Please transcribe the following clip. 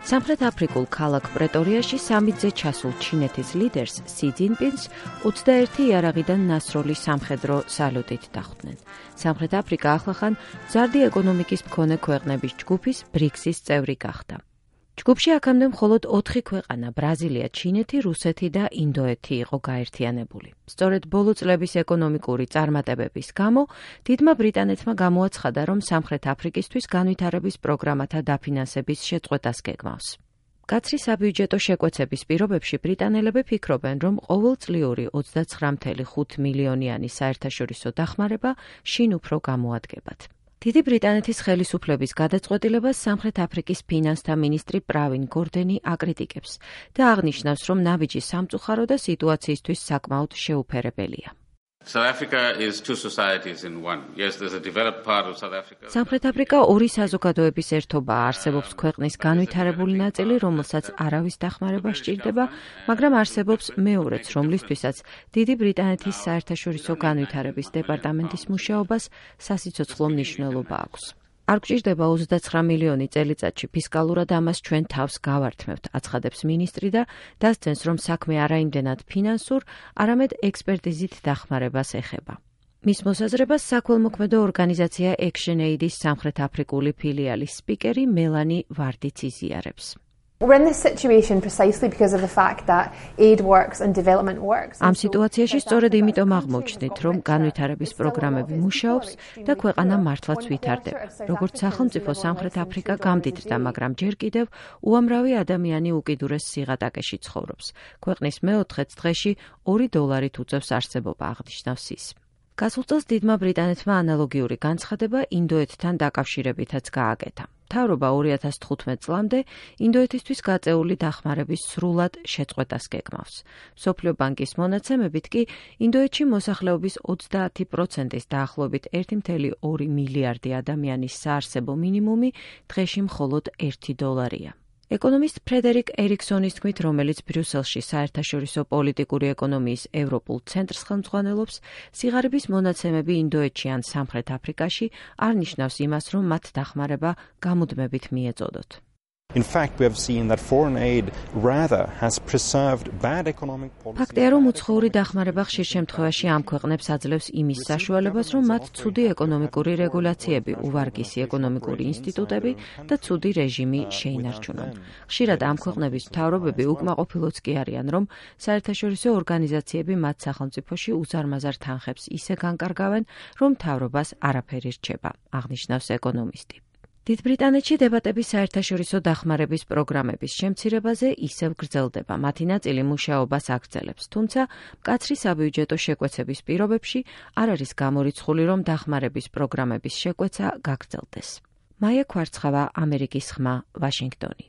სამხრეთ აფრიკულ ქალაქ პრეტორიაში სამიტზე ჩასულ ჩინეთის ლიდერს სი ძინპინს 21 იარაღიდან ნასროლი სამხედრო სალუტით დახვდნენ. სამხრეთ აფრიკა ახლახან მზარდი ეკონომიკის მქონე ქვეყნების ჯგუფის ბრიქსის წევრი გახდა. ჯგუფში აქამდე მხოლოდ 4 ქვეყანა ბრაზილია, ჩინეთი, რუსეთი და ინდოეთი იყო გაერთიანებული. სწორედ ბოლო წლების ეკონომიკური წარმატებების გამო დიდმა ბრიტანეთმა გამოაცხადა, რომ სამხრეთ აფრიკისთვის განვითარების პროგრამათა დაფინანსების შეწყვეტას გეგმავს. კაცრი საბიუჯეტო შეკვეცების პირობებში ბრიტანელები ფიქრობენ, რომ ყოველწლიური 29.5 მილიონიანი საერთაშორისო დახმარება შინ უფრო გამოადგებათ. დიდი ბრიტანეთის ხელისუფლების გადაწყვეტილებას სამხრეთ აფრიკის ფინანსთა მინისტრი პრავინ გორდენი აკრიტიკებს და აღნიშნავს, რომ ნაბიჯი სამწუხარო და სიტუაციისთვის საკმაოდ შეუფერებელია. სამხრეთ აფრიკა ორი საზოგადოების ერთობაა. არსებობს ქვეყნის განვითარებული ნაწილი, რომელსაც არავის დახმარება სჭირდება, მაგრამ არსებობს მეორეც, რომლისთვისაც დიდი ბრიტანეთის საერთაშორისო განვითარების დეპარტამენტის მუშაობას სასიცოცხლო მნიშვნელობა აქვს. არ გვჭირდება 29 მილიონი წელიწადში, ფისკალურად ამას ჩვენ თავს გავართმევთ, აცხადებს მინისტრი და დასცენს, რომ საქმე არაიმდენად ფინანსურ, არამედ ექსპერტიზით დახმარებას ეხება. მის მოსაზრებას საქველმოქმედო ორგანიზაცია ActionAid-ის სამხრეთ აფრიკული ფილიალის სპიკერი მელანი ვარდიც იზიარებს. ამ სიტუაციაში სწორედ იმიტომ აღმოჩნდით, რომ განვითარების პროგრამები მუშაობს და ქვეყანა მართლაც ვითარდება. როგორც სახელმწიფო სამხრეთ აფრიკა გამდიდრდა, მაგრამ ჯერ კიდევ უამრავი ადამიანი უკიდურეს სიღატაკეში ცხოვრობს. ქვეყნის მეოთხედს დღეში $2 უწევს არსებობა, აღნიშნავს ის. გასულ წელს დიდმა ბრიტანეთმა ანალოგიური განცხადება ინდოეთთან დაკავშირებითაც გააკეთა. მთავრობა 2015 წლამდე ინდოეთისთვის გაწეული დახმარების სრულად შეწყვეტას გეგმავს. მსოფლიო ბანკის მონაცემებით კი ინდოეთში მოსახლეობის 30%-ის დაახლოებით 1,2 მილიარდი ადამიანის საარსებო მინიმუმი დღეში მხოლოდ $1-ია. ეკონომისტ ფრედერიკ ერიქსონის თქმით, რომელიც ბრიუსელში საერთაშორისო პოლიტიკური ეკონომიის ევროპულ ცენტრს ხელმძღვანელობს, სიღარიბის მონაცემები ინდოეთში ან სამხრეთ აფრიკაში არ ნიშნავს იმას, რომ მათ დახმარება გამუდმებით მიეწოდოთ. ფაქტია, რომ უცხოური დახმარება ხშირ შემთხვევაში ამ ქვეყნებს აძლევს იმის საშუალებას, რომ მათ ცუდი ეკონომიკური რეგულაციები, უვარგისი ეკონომიკური ინსტიტუტები და ცუდი რეჟიმი შეინარჩუნონ. ხშირად ამ ქვეყნების მთავრობები უკმაყოფილოც კი არიან, რომ საერთაშორისო ორგანიზაციები მათ სახელმწიფოში უზარმაზარ თანხებს ისე განკარგავენ, რომ მთავრობას არაფერი რჩება, აღნიშნავს ეკონომისტი. დიდ ბრიტანეთში დებატები საერთაშორისო დახმარების პროგრამების შემცირებაზე ისევ გრძელდება. მათი ნაწილი მუშაობას აგრძელებს, თუმცა მკაცრი საბიუჯეტო შეკვეცების პირობებში არ არის გამორიცხული, რომ დახმარების პროგრამების შეკვეცა გაგრძელდეს. მაია ქვარცხავა, ამერიკის ხმა, ვაშინგტონი.